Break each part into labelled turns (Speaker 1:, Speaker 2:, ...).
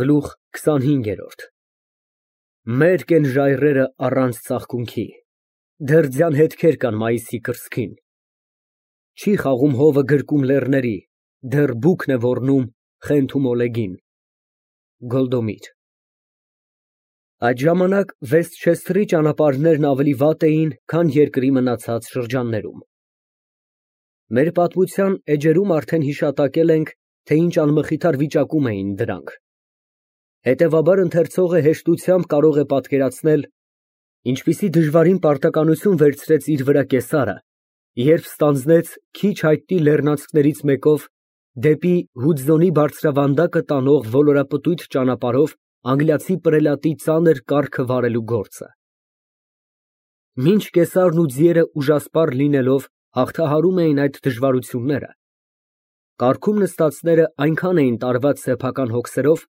Speaker 1: Գլուխ 25 Մերկ են ժայռերը առանց ծաղկունքի, դեռ ձյան հետքեր կան մայիսի կրծքին, չի խաղում հովը գրկում լեռների, դեռ բուքն է ոռնում խենթ ու մոլեգին։ Գոլդոմիր Այդ ժամանակ Վեսթչեսթերի ճանապարհներն ավելի վատ էին, քան երկրի մնացած շրջաններում։ Մեր պատմության էջերում արդեն հիշատակել ենք, թե ինչ անմխիթար վիճակում էին դրանք։ Հետևաբար ընթերցողը հեշտությամբ կարող է պատկերացնել, ինչպիսի դժվարին պարտականություն վերցրեց իր վրա կեսարը, երբ ստանձնեց քիչ հայտնի լեռնանցքներից մեկով դեպի Հուդզոնի բարձրավանդակը տանող ոլորապտույտ ճանապարհով անգլիացի պրելատի ծանր կառքը վարելու գործը։ Մինչ կեսարն ու ձիերը ուժասպառ լինելով հաղթահարում էին այդ դժվարությունները, կառքում նստածները այնքան էին տարված սեփական հոգսերով,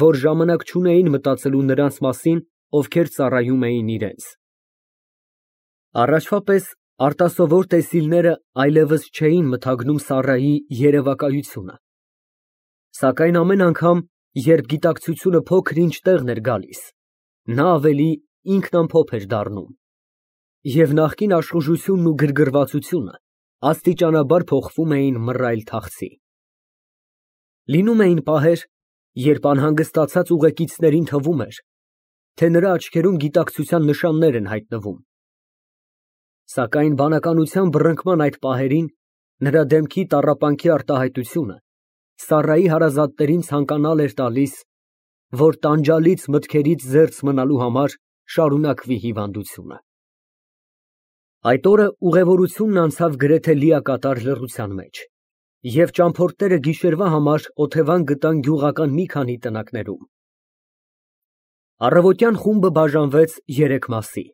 Speaker 1: որ ժամանակ չունեին մտածելու նրանց մասին, ովքեր ծառայում էին իրենց։ Առաջվա պես արտասովոր տեսիլները այլևս չէին մթագնում Սառայի երևակայությունը, սակայն ամեն անգամ, երբ գիտակցությունը փոքր-ինչ տեղն էր գալիս, նա ավելի ինքնամփոփ էր դառնում, և նախկին աշխուժությունն ու գրգռվածությունը աստիճանաբար փոխվում էին մռայլ թախծի։ Լինում էին պահեր, երբ անհանգստացած ուղեկիցներին թվում էր, թե նրա աչքերում գիտակցության նշաններ են հայտնվում, սակայն բանականության բռնկման այդ պահերին նրա դեմքի տառապանքի արտահայտությունը Սառայի հարազատներին ցանկանալ էր տալիս, որ տանջալից մտքերից զերծ մնալու համար շարունակվի հիվանդությունը։ Այդ օրը ուղևորությունն անցավ գրեթե լիակատար լռության մեջ, և ճամփորդները գիշերվա համար օթևան գտան գյուղական մի քանի տնակներում։ Առավոտյան խումբը բաժանվեց երեք մասի։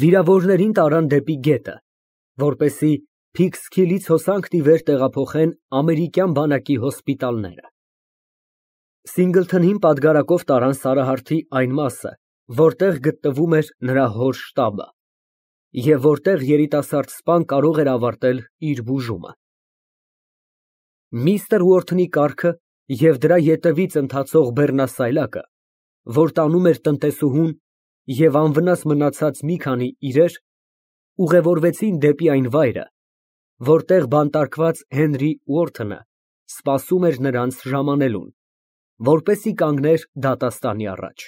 Speaker 1: Վիրավորներին տարան դեպի գետը, որպեսզի Փիքսքիլից հոսանքն ի վեր տեղափոխեն ամերիկյան բանակի հոսպիտալները։ Սինգլթոնին պատգարակով տարան Սարահարթի այն մասը, որտեղ գտնվում էր նրա հոր շտաբը, և որտեղ երիտասարդ սպան կարող էր ավարտել իր բուժումը։ Միստր Ուորթոնի կառքը և դրա ետևից ընթացող բեռնասայլակը, որ տանում էր տնտեսուհուն և անվնաս մնացած մի քանի իրեր, ուղևորվեցին դեպի այն վայրը, որտեղ բանտարկված Հենրի Ուորթոնը սպասում էր նրանց ժամանելուն, որպեսզի կանգներ դատաստանի առաջ։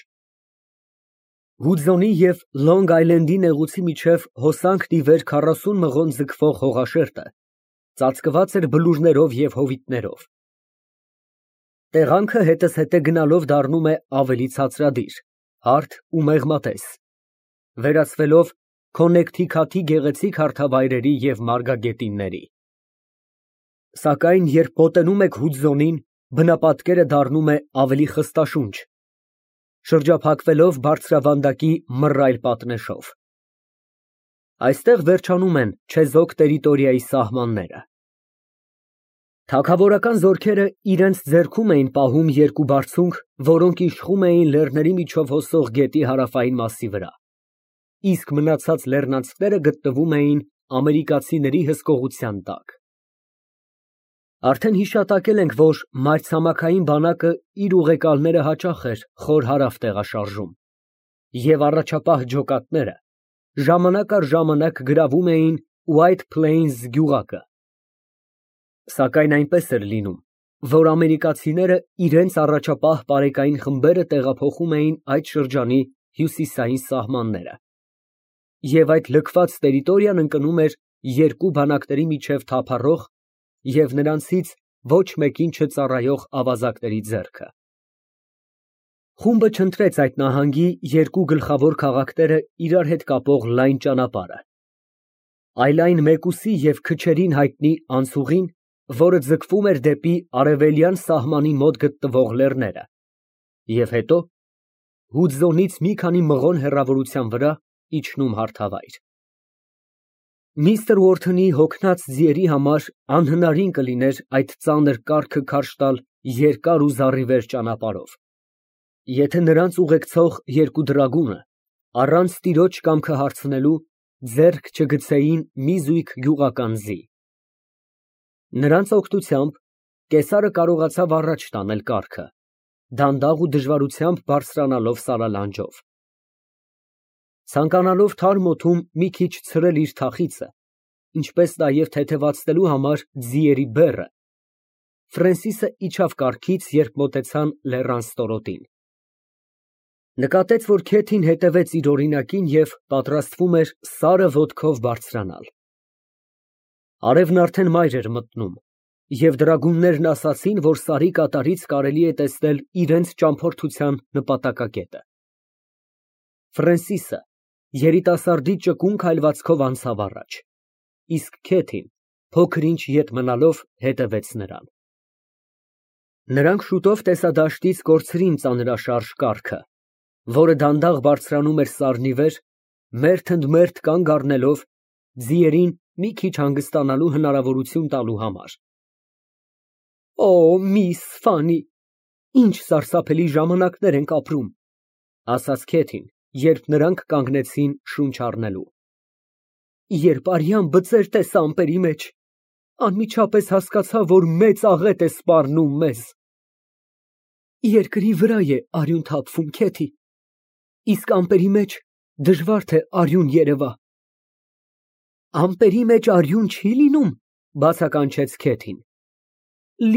Speaker 1: Հուդզոնի և Լոնգ Այլենդի նեղուցի միջև հոսանքն ի վեր 40 մղոն ձգվող հողաշերտը ծածկված էր բլուրներով և հովիտներով։ Տեղանքը հետզհետե գնալով դառնում է ավելի ցածրադիր, հարթ ու մեղմատես, վերածվելով Քոննեկթիքաթի գեղեցիկ հարթավայրերի և մարգագետինների։ Սակայն երբ մոտենում եք Հուդզոնին, բնապատկերը դառնում է ավելի խստաշունչ, շրջափակվելով բարձրավանդակի մռայլ պատնեշով։ Այստեղ վերջանում են չեզոք տերիտորիայի սահմանները։ Թագավորական զորքերը իրենց ձեռքում էին պահում երկու բարձունք, որոնք իշխում էին լեռների միջով հոսող գետի հարավային մասի վրա, իսկ մնացած լեռնանցքները գտնվում էին ամերիկացիների հսկողության տակ։ Արդեն հիշատակել ենք, որ մայրցամաքային բանակը իր ուղեկալները հաճախ էր խոր հարավ տեղաշարժում, և առաջապահ ջոկատները ժամանակ առ ժամանակ գրավում էին White Plains գյուղակը։ Սակայն այնպես էր լինում, որ ամերիկացիները իրենց առաջապահ պարեկային խմբերը տեղափոխում էին այդ շրջանի հյուսիսային սահմանները, և այդ լքված տերիտորիան ընկնում էր երկու բանակների միջև թափառող և նրանցից ոչ մեկին չծառայող ավազակների ձեռքը։ Խումբը չընտրեց այդ նահանգի երկու գլխավոր քաղաքները իրար հետ կապող լայն ճանապարհը, այլ այն մեկուսի և քչերին հայտնի անցուղին, որը ձգվում էր դեպի արևելյան սահմանի մոտ գտնվող լեռները, և հետո, Հուդզոնից մի քանի մղոն հեռավորության վրա, իջնում հարթավայր։ Միստր Ուորթոնի հոգնած ձիերի համար անհնարին կլիներ այդ ծանր կառքը քարշ տալ երկար ու զառիվեր ճանապարհով, եթե նրանց ուղեկցող երկու դրագունը, առանց տիրոջ կամքը հարցնելու, ձեռք չգցեին մի զույգ գյուղական ձի։ Նրանց օգնությամբ կեսարը կարողացավ առաջ տանել կառքը դանդաղ ու դժվարությամբ բարձրանալով սարալանջով։ Ցանկանալով թարմ օդում մի քիչ ցրել իր թախիծը, ինչպես նաև թեթևացնելու համար ձիերի բեռը, Ֆրենսիսը իջավ կառքից, երբ մոտեցան լեռան ստորոտին։ Նկատեց, որ Քեթին հետևեց իր օրինակին և պատրաստվում էր սարը ոտքով բարձրանալ։ Արևն արդեն մայր էր մտնում, և դրագուններն ասացին, որ սարի կատարից կարելի է տեսնել իրենց ճամփորդության նպատակակետը։ Ֆրենսիսը երիտասարդի ճկուն քայլվածքով անցավ առաջ, իսկ Քեթին փոքր-ինչ ետ մնալով հետևեց նրան։ Նրանք շուտով տեսադաշտից կորցրին ծանրաշարժ կառքը, որը դանդաղ բարձրանում էր սարի վեր, մերթ ընդ մերթ կանգ առնելով ձիերին մի քիչ հանգստանալու հնարավորություն տալու համար։ Օ, միս Ֆանի, ինչ սարսափելի ժամանակներ ենք ապրում, ասաց Քեթին, երբ նրանք կանգնեցին շունչ առնելու։ Երբ արյան բծեր տեսա ամպերի մեջ, անմիջապես հասկացա, որ մեծ աղետ է սպառնում մեզ։ Երկրի վրա է արյուն թափվում, Քեթի, իսկ ամպերի մեջ դժվար թե արյուն երևա։ Ամպերի մեջ արյուն չի լինում, բացականչեց Քեթին։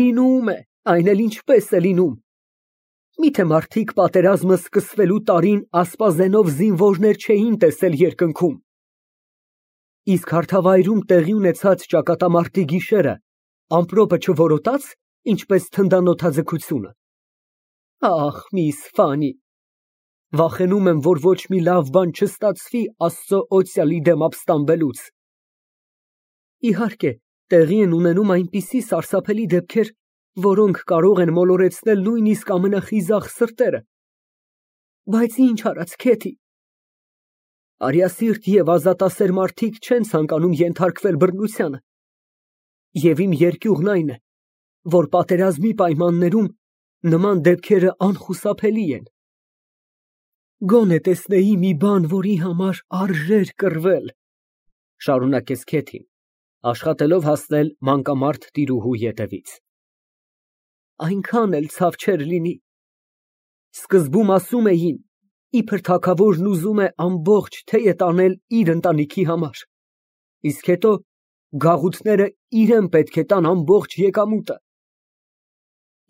Speaker 1: Լինում է, այն էլ ինչպես է լինում։ Միթե մարդիկ պատերազմը սկսվելու տարին ասպազենով զինվորներ չէին տեսել երկնքում։ Իսկ հարթավայրում տեղի ունեցած ճակատամարտի գիշերը ամպրոպը չորոտաց, ինչպես թնդանոթաձգությունը։ Ախ, միս Ֆանի, վախենում եմ, որ ոչ մի լավ բան չստացվի Աստծո օծյալի դեմ ապստամբելուց։ Իհարկե, տեղի են ունենում այնպիսի սարսափելի դեպքեր, որոնք կարող են մոլորեցնել նույնիսկ ամենախիզախ սրտերը։ Բայց ինչ արած, Քեթի։ Արիասիրտ և ազատասեր մարդիկ չեն ցանկանում ենթարկվել բռնությանը։ Եվ իմ երկյուղն այն է, որ պատերազմի պայմաններում նման դեպքերը անխուսափելի են։ Գոնե տեսնեի մի բան, որի համար արժեր կռվել, շարունակեց Քեթին, աշխատելով հասնել մանկամարտ տիրուհու ետևից։ Այնքան էլ ցավ չէր լինի։ Սկզբում ասում էին, իբր թագավորն ուզում է ամբողջ թեյը տանել իր ընտանիքի համար, իսկ հետո գաղութները իրեն պետք է տան ամբողջ եկամուտը։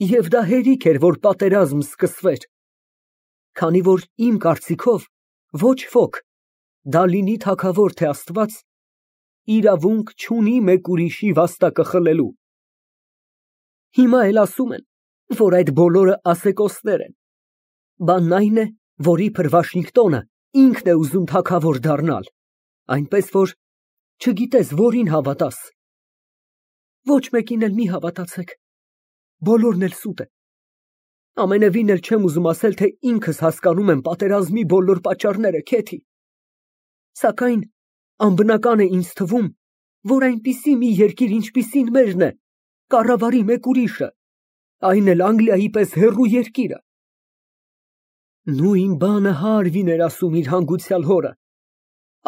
Speaker 1: Եվ դա հերիք էր, որ պատերազմ սկսվեր, քանի որ իմ կարծիքով ոչ ոք, դա լինի թագավոր թե Աստված, իրավունք չունի մեկ ուրիշի վաստակը խլելու։ Հիմա էլ ասում են, որ այդ բոլորը ասեկոսներ են։ Բանն այն է, որ իբր Վաշինգտոնը ինքն է ուզում թագավոր դառնալ, այնպես որ չգիտես որին հավատաս։ Ոչ մեկին էլ մի հավատացեք, բոլորն էլ սուտ է։ Ամենևին էլ չեմ ուզում ասել, թե ինքս հասկանում եմ պատերազմի բոլոր պատճառները, Քեթի։ Սակայն անբնական է ինձ թվում, որ այնպիսի մի երկիր, ինչպիսին մերն է, կառավարի մեկ ուրիշը, այն էլ Անգլիայի պես հեռու երկիրը։ Նույն բանը Հարվին էր ասում իր հանգուցյալ հորը,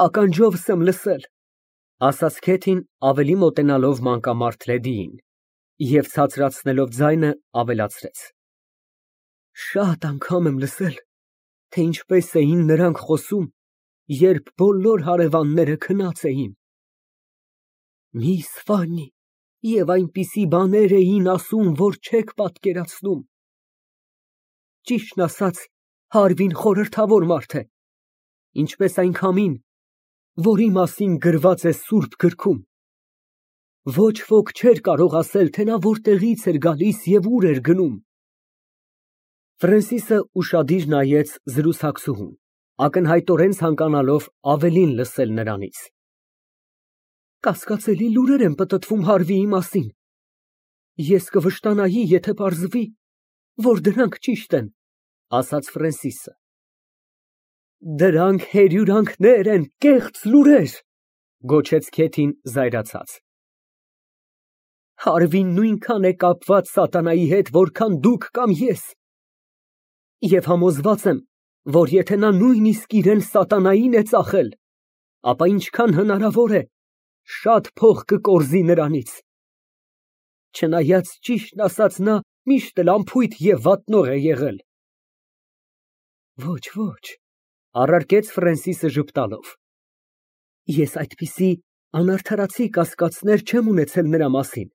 Speaker 1: ականջովս եմ լսել, ասաց Քեթին ավելի մոտենալով մանկամարտ լեդիին, և ցածրացնելով ձայնը ավելացրեց. Շատ անգամ եմ լսել, թե ինչպես էին նրանք խոսում, երբ բոլոր հարևանները քնած էին։ Միս Ֆանի, և այնպիսի բաներ էին ասում, որ չեք պատկերացնում։ Ճիշտն ասած, Հարվին խորհրդավոր մարդ է, ինչպես այն քամին, որի մասին գրված է Սուրբ գրքում։ Ոչ ոք չէր կարող ասել, թե նա որտեղից էր գալիս և ուր էր գնում։ Ֆրենսիսը ուշադիր նայեց զրուցակցուհուն, ակնհայտորեն ցանկանալով ավելին լսել նրանից։ Կասկածելի լուրեր են պտտվում Հարվիի մասին։ Ես կվշտանայի, եթե պարզվի, որ դրանք ճիշտ են, ասաց Ֆրենսիսը։ Դրանք հերյուրանքներ են, կեղծ լուրեր, գոչեց Քեթին զայրացած։ Հարվին նույնքան է կապված սատանայի հետ, որքան դուք կամ ես։ Եվ համոզված եմ, որ եթե նա նույնիսկ իրեն սատանային է ծախել, ապա ինչքան հնարավոր է, շատ փող կկորզի նրանից։ Չնայած ճիշտն ասած նա միշտ էլ անփույթ եւ վատնող է եղել։ Ոչ, ոչ, առարկեց Ֆրենսիսը ժպտալով։ Ես այդպիսի անարդարացի կասկածներ չեմ ունեցել նրա մասին։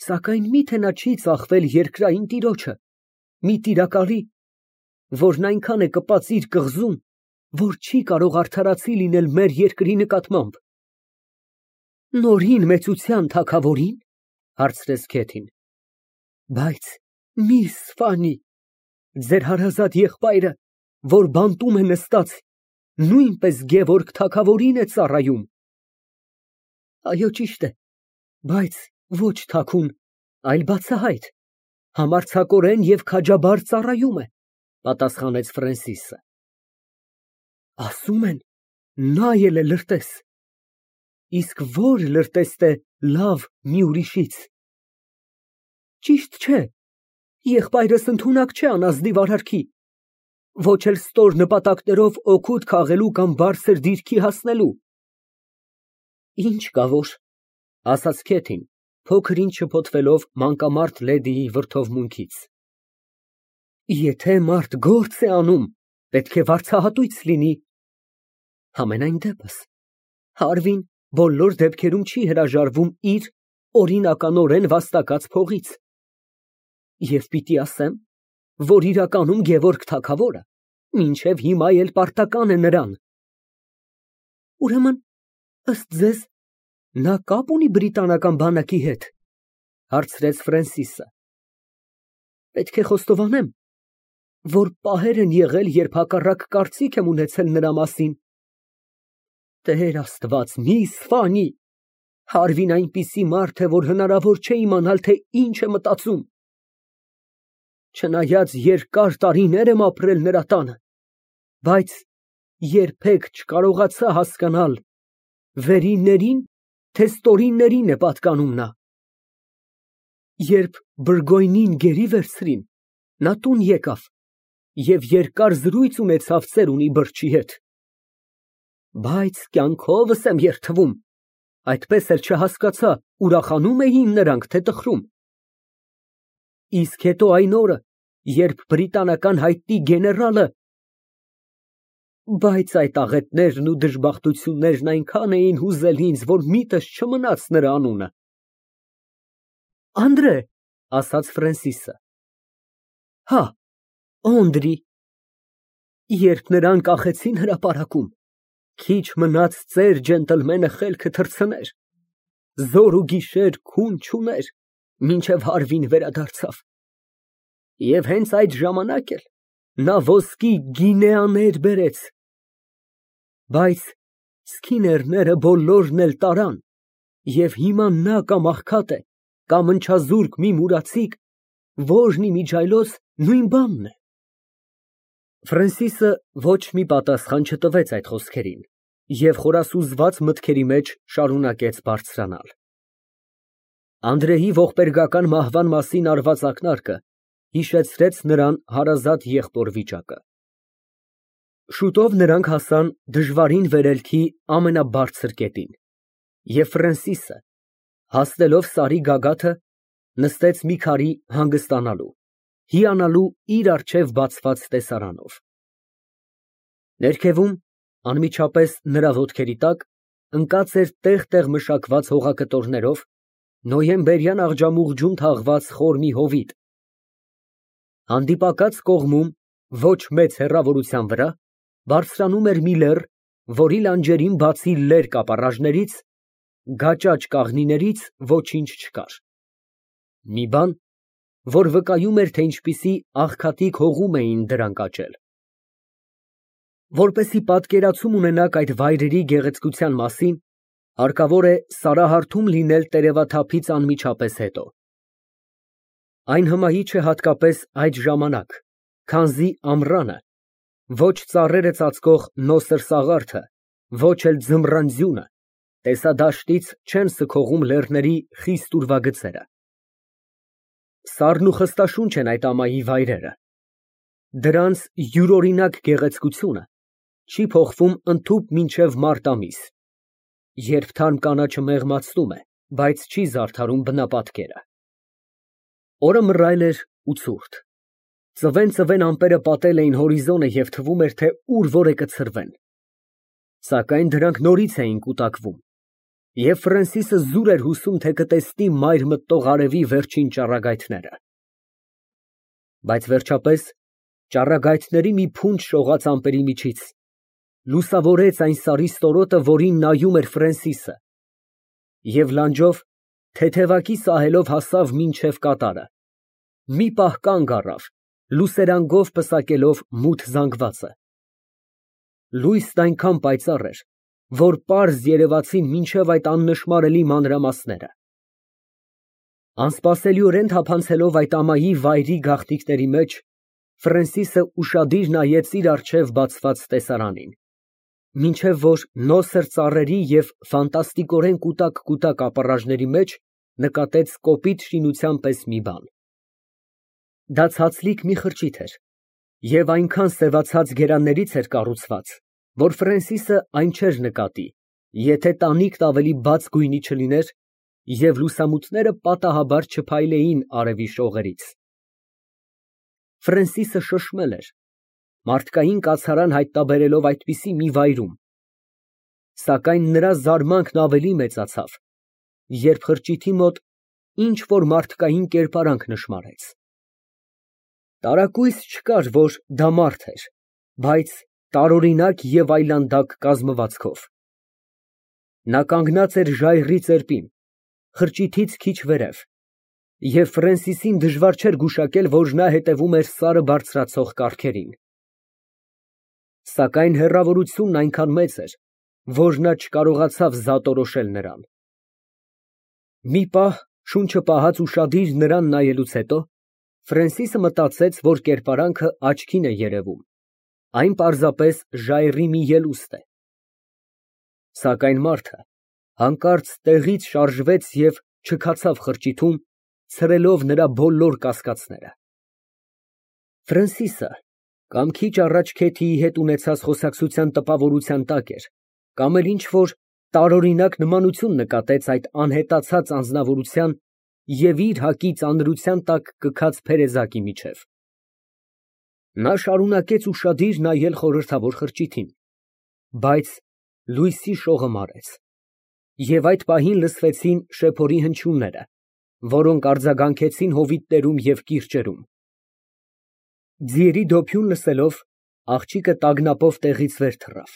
Speaker 1: Սակայն միթե նա չի ծախվել երկրային տիրոջը, մի տիրակալի, որն այնքան է կպած իր կղզում, որ չի կարող արդարացի լինել մեր երկրի նկատմամբ։ Նորին մեծության թագավորին, հարցրեց Քեթին։ Բայց միս Ֆանի, ձեր հարազատ եղբայրը, որ բանտում է նստած, նույնպես Գևորգ թագավորին է ծառայում։ Այո, ճիշտ է, բայց ոչ թաքուն, այլ բացահայտ, համարձակորեն եւ քաջաբար ծառայում է, պատասխանեց Ֆրենսիսը։ Ասում են, նա էլ է լրտես։ Իսկ որ լրտեստ է լավ մի ուրիշից։ Ճիշտ չէ, եղբայրս ընդունակ չէ անազնիվ արարքի, ոչ էլ ստոր նպատակներով օգուտ քաղելու կամ բարձր դիրքի հասնելու։ Ինչ կա որ, ասաց Քեթին, փոքր ինչ շփոթվելով մանկամարտ լեդիի վրդովմունքից։ Եթե մարդ գործ է անում, պետք է վարձահատույց լինի։ Համենայն դեպս, Հարվին բոլոր դեպքերում չի հրաժարվում իր օրինականորեն վաստակած փողից։ Եվ պիտի ասեմ, որ իրականում Գևորգ թագավորը մինչև հիմա էլ պարտական է նրան։ Ուրեմն, ըստ ձեզ, նա կապ ունի բրիտանական բանակի հետ, հարցրեց Ֆրենսիսը։ Պետք է խոստովանեմ, որ պահեր են եղել, երբ հակառակ կարծիք եմ ունեցել նրա մասին։ Տեր Աստված, միս Ֆանի, Հարվին այնպիսի մարդ է, որ հնարավոր չէ իմանալ, թե ինչ է մտածում։ Չնայած երկար տարիներ եմ ապրել նրա տանը, բայց երբեք չկարողացա հասկանալ վերիններին, թե ստորիններին է պատկանում նա։ Երբ Բուրգոյնին գերի վերցրին, նա տուն եկավ և երկար զրույց ունեցավ ծերունի բրդի հետ։ Բայց կյանքովս եմ երդվում, այդպես էլ չհասկացա, ուրախանում էին նրանք, թե տխրում։ Իսկ հետո այն օրը, երբ բրիտանական հայտնի գեներալը… Բայց այդ աղետներն ու դժբախտություններն այնքան էին հուզել ինձ, որ միտս չմնաց նրա անունը։ Անդրե, ասաց Ֆրենսիսը։ Հա, Օնդրի։ Երբ նրան կախեցին հրապարակում, քիչ մնաց ծեր ջենտլմենը խելքը թռցներ, զոր ու գիշեր քուն չուներ, մինչև Հարվին վերադարձավ։ Եվ հենց այդ ժամանակ էլ նա ոսկի գինեաներ բերեց։ Բայց Սքիներները բոլորն էլ տարան, և հիմա նա կամ աղքատ է, կամ ընչազուրկ մի մուրացիկ, որն իմիջիայլոց նույն բանն է։ Ֆրենսիսը ոչ մի պատասխան չտվեց այդ խոսքերին և խորասուզված մտքերի մեջ շարունակեց բարձրանալ։ Անդրեի ողբերգական մահվան մասին արված ակնարկը հիշեցրեց նրան հարազատ եղբոր վիճակը։ Շուտով նրանք հասան դժվարին վերելքի ամենաբարձր կետին, և Ֆրենսիսը, հասնելով Սարի գագաթը, նստեց մի քարի հանգստանալու, հիանալու իր առջև բացված տեսարանով։ Ներքևում, անմիջապես նրա ոտքերի տակ, ընկած էր տեղ֊տեղ մշակված հողակտորներով նոյեմբերյան աղջամուղջում թաղված խոր մի հովիտ։ Հանդիպակաց կողմում, ոչ մեծ հեռավորության վրա, բարձրանում էր մի լեռ, որի լանջերին բացի լեր կապարաժներից, գաճաճ կաղնիներից ոչինչ չկար։ Մի բան, որ վկայում էր, թե ինչպիսի աղքատիկ հողում էին դրանք աճել։ Որպեսզի պատկերացում ունենաք այդ վայրերի գեղեցկության մասին, հարկավոր է Սարահարթում լինել տերևաթափից անմիջապես հետո։ Այն հմայիչ է հատկապես այդ ժամանակ, քանզի ամռանը ոչ ծառերը ծածկող նոսր սաղարթը, ոչ էլ ձմռան ձյունը տեսադաշտից չեն սգողում լեռների խիստ ուրվագծերը։ Սառն ու խստաշունչ են այդ ամայի վայրերը։ Դրանց յուրօրինակ գեղեցկությունը չի փոխվում ընդհուպ մինչև մարտ ամիս, երբ թարմ կանաչը մեղմացնում է, բայց չի զարդարում բնապատկերը։ Օրը մռայլ էր ու ցուրտ։ Ծվեն ամպերը պատել էին հորիզոնը և թվում էր, թե ուր որ է կցրվեն։ Սակայն դրանք նորից էին կուտակվում, և Ֆրենսիսը զուր էր հուսում, թե կտեսնի մայր մտնող արևի վերջին ճառագայթները։ Բայց վերջապես ճառագայթների մի փունջ շողաց ամպերի միջից, լուսավորեց այն սարի ստորոտը, որին նայում էր Ֆրենսիսը, և լանջով, թեթևակի սահելով հասավ մինչև կատարը, մի պահ կանգ առավ, լուսերանգով պսակելով մութ զանգվածը։ Լույսն այնքան պայծառ էր, որ պարզ երևացին մինչև այդ աննշմարելի մանրամասները։ Անսպասելիորեն թափանցելով այդ ամայի վայրի գաղտնիքների մեջ, Ֆրենսիսը ուշադիր նայեց իր առջև բացված տեսարանին, մինչև որ նոսր ծառերի և ֆանտաստիկորեն կուտակ ապառաժների մեջ նկատեց կոպիտ շինության պես մի բան։ Դա ցածլիկ մի խրճիթ էր և այնքան սևացած գերաններից էր կառուցված, որ Ֆրենսիսը այն չէր նկատի, եթե տանիքն ավելի բաց գույնի չլիներ և լուսամուտները պատահաբար չփայլեին արևի շողերից։ Ֆրենսիսը շշմել էր, մարդկային կացարան հայտնաբերելով այդպիսի մի վայրում, սակայն նրա զարմանքն ավելի մեծացավ, երբ խրճիթի մոտ ինչ֊որ մարդկային կերպարանք նշմարեց։ Տարակույս չկար, որ դա մարդ էր, բայց տարօրինակ և այլանդակ կազմվածքով։ Նա կանգնած էր ժայռի ծերպին, խրճիթից քիչ վերև, և Ֆրենսիսին դժվար չէր գուշակել, որ նա հետևում էր սարը բարձրացող կառքերին։ Սակայն հեռավորությունն այնքան մեծ էր, որ նա չկարողացավ զատորոշել նրան։ Մի պահ, շունչը պահած ուշադիր նրան նայելուց հետո, Ֆրենսիսը մտածեց, որ կերպարանքը աչքին է երևում, այն պարզապես ժայռի մի ելուստ է։ Սակայն մարդը հանկարծ տեղից շարժվեց և չքացավ խրճիթում, ցրելով նրա բոլոր կասկածները։ Ֆրենսիսը կամ քիչ առաջ Քեթիի հետ ունեցած խոսակցության տպավորության տակ էր, կամ էլ ինչ֊որ տարօրինակ նմանություն նկատեց այդ անհետացած անձնավորության և իր հակի ծանրության տակ կքած փերեզակի միջև։ Նա շարունակեց ուշադիր նայել խորհրդավոր խրճիթին, բայց լույսի շողը մարեց, և այդ պահին լսվեցին շեփորի հնչյունները, որոնք արձագանքեցին հովիտներում և կիրճերում։ Ձիերի դոփյուն լսելով, աղջիկը տագնապով տեղից վեր թռավ։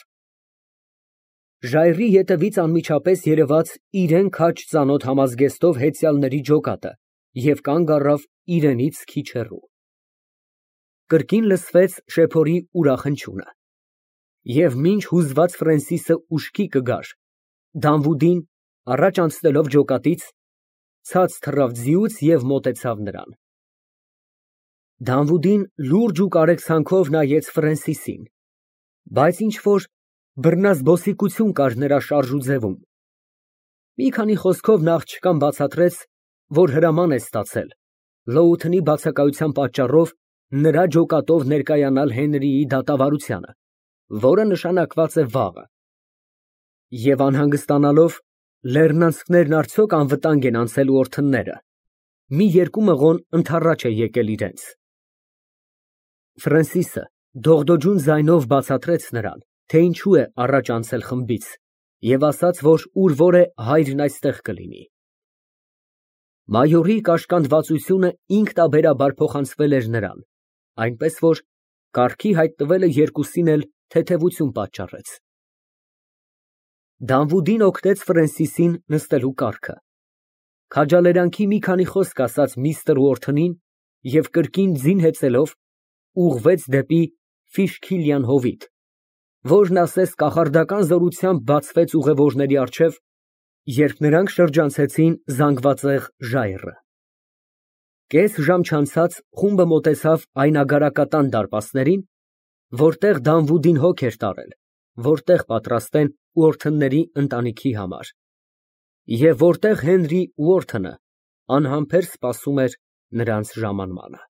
Speaker 1: Ժայռի ետևից անմիջապես երևաց իրան քաջ ծանոթ համազգեստով հեծյալների ջոկատը և կանգ առավ իրենից քիչ հեռու։ Կրկին լսվեց շեփորի ուրախ հնչյունը, և մինչ հուզված Ֆրենսիսը ուշքի կգար, Դանվուդին, առաջ անցնելով ջոկատից, ցած թռավ ձիուց և մոտեցավ նրան։ Դանվուդին լուրջ ու կարեկցանքով նայեց Ֆրենսիսին, բայց ինչ֊որ բռնազբոսիկություն կար նրա շարժուձևում։ Մի քանի խոսքով նա աղջկան բացատրեց, որ հրաման է ստացել Լոութընի բացակայության պատճառով նրա ջոկատով ներկայանալ Հենրիի դատավարությանը, որը նշանակված է վաղը, և անհանգստանալով, լեռնանցքներն արդյոք անվտանգ են անցել օրթնները, մի երկու մղոն ընդառաջ է եկել իրենց։ Ֆրենսիսը դողդոջուն ձայնով բացատրեց նրան, թե ինչու է առաջ անցել խմբից, և ասաց, որ ուր որ է հայրն այստեղ կլինի։ Մայորի կաշկանդվածությունը ինքնաբերաբար փոխանցվել էր նրան, այնպես որ կառքի հայտնվելը երկուսին էլ թեթևություն պատճառեց։ Դանվուդին օգնեց Ֆրենսիսին նստելու կառքը, քաջալերանքի մի քանի խոսք ասաց միստր Ուորթնին և կրկին ձին հեծելով, ուղղվեց դեպի Ֆիշքիլյան հովիտ, որն ասես կախարդական զորությամբ բացվեց ուղևորների առջև, երբ նրանք շրջանցեցին զանգվածեղ ժայռը։ Կես ժամ չանցած խումբը մոտեցավ այն ագարակատան դարպասներին, որտեղ Դանվուդին հոգ էր տարել, որտեղ պատրաստեն Ուորթնների ընտանիքի համար, և որտեղ Հենրի Ուորթնը անհամբեր սպասում էր նրանց ժամանմանը։